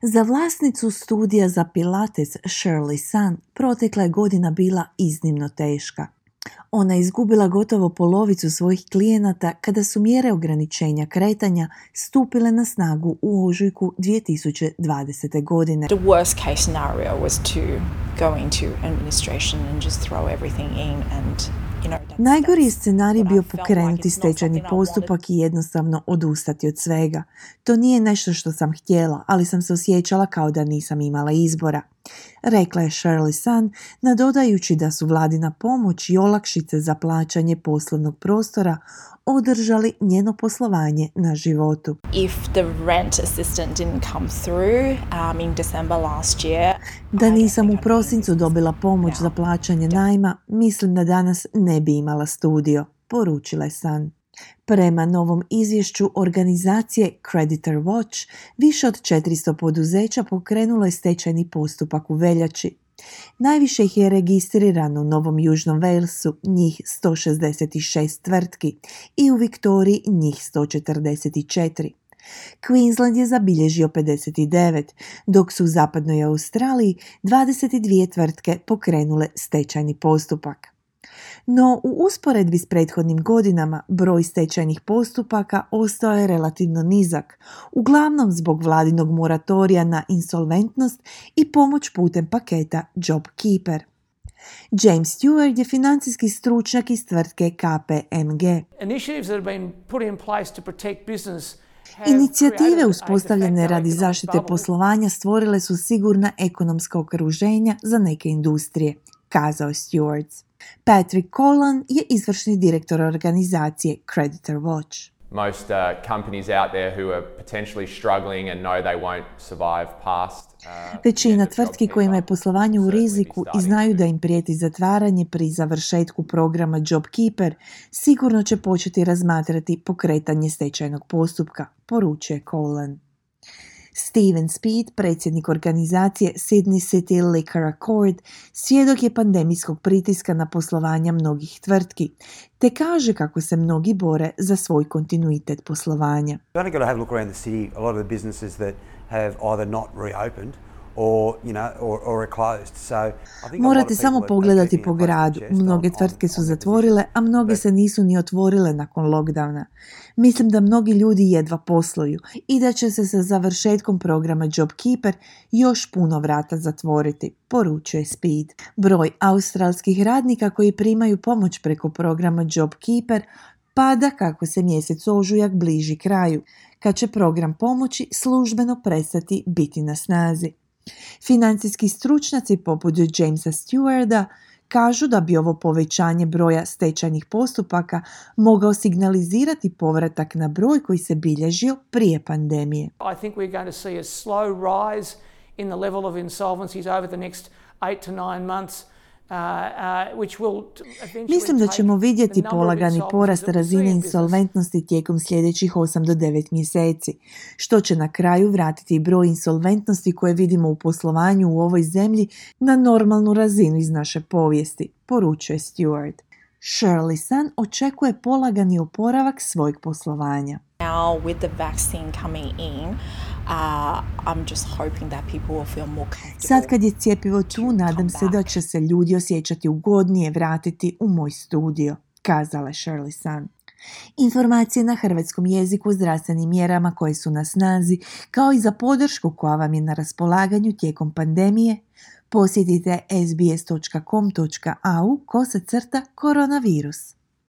Za vlasnicu studija za Pilates Shirley Sun protekla je godina bila iznimno teška. Ona je izgubila gotovo polovicu svojih klijenata kada su mjere ograničenja kretanja stupile na snagu u ožujku 2020. godine. The worst case scenario was to go into administration and just throw everything in and Najgori je scenarij bio pokrenuti stečajni postupak i jednostavno odustati od svega. To nije nešto što sam htjela, ali sam se osjećala kao da nisam imala izbora, rekla je Shirley Sun, nadodajući da su vladina pomoć i olakšice za plaćanje poslovnog prostora održali njeno poslovanje na životu. If the rent assistant didn't come through in December last year, da nisam u prosincu dobila pomoć za plaćanje najma, mislim da danas ne bi imala studio, poručila je Sun. Prema novom izvješću organizacije Creditor Watch, više od 400 poduzeća pokrenulo je stečajni postupak u veljači. Najviše ih je registrirano u Novom Južnom Walesu, njih 166 tvrtki, i u Viktoriji njih 144. Queensland je zabilježio 59, dok su u zapadnoj Australiji 22 tvrtke pokrenule stečajni postupak. No, u usporedbi s prethodnim godinama broj stečajnih postupaka ostao je relativno nizak, uglavnom zbog vladinog moratorija na insolventnost i pomoć putem paketa JobKeeper. James Stewart je financijski stručnjak iz tvrtke KPMG. Inicijative uspostavljene radi zaštite poslovanja stvorile su sigurna ekonomska okruženja za neke industrije, kazao je Stewart. Patrick Collan je izvršni direktor organizacije Creditor Watch. Most companies out there who are potentially struggling and know they won't survive past. Većina tvrtki kojima je poslovanje u riziku i znaju da im prijeti zatvaranje pri završetku programa JobKeeper, sigurno će početi razmatrati pokretanje stečajnog postupka, poručuje Collan. Steven Speed, predsjednik organizacije Sydney City Liquor Accord, svjedok je pandemijskog pritiska na poslovanja mnogih tvrtki, te kaže kako se mnogi bore za svoj kontinuitet poslovanja. Morate samo pogledati po gradu. Mnoge tvrtke su zatvorile, a mnoge se nisu ni otvorile nakon lockdowna. Mislim da mnogi ljudi jedva posluju i da će se sa završetkom programa JobKeeper još puno vrata zatvoriti, poručuje Speed. Broj australskih radnika koji primaju pomoć preko programa JobKeeper pada kako se mjesec ožujak bliži kraju, kad će program pomoći službeno prestati biti na snazi. Financijski stručnjaci poput Jamesa Stewarda kažu da bi ovo povećanje broja stečajnih postupaka mogao signalizirati povratak na broj koji se bilježio prije pandemije. I think we're going to see a slow rise in the level of insolvencies over the next 8 to 9 months. Mislim da ćemo vidjeti polagani porast razine insolventnosti tijekom sljedećih 8 do 9 mjeseci, što će na kraju vratiti broj insolventnosti koje vidimo u poslovanju u ovoj zemlji na normalnu razinu iz naše povijesti, poručuje Stewart. Shirley Sun očekuje polagani oporavak svojeg poslovanja. Now with the vaccine coming in, I'm just hoping that people will feel more comfortable. Sad kad je cjepivo tu, nadam se da će se ljudi osjećati ugodnije vratiti u moj studio, kazala je Shirley Sun. Informacije na hrvatskom jeziku o zdravstvenim mjerama koje su na snazi, kao i za podršku koja vam je na raspolaganju tijekom pandemije, posjetite sbs.com.au/koronavirus.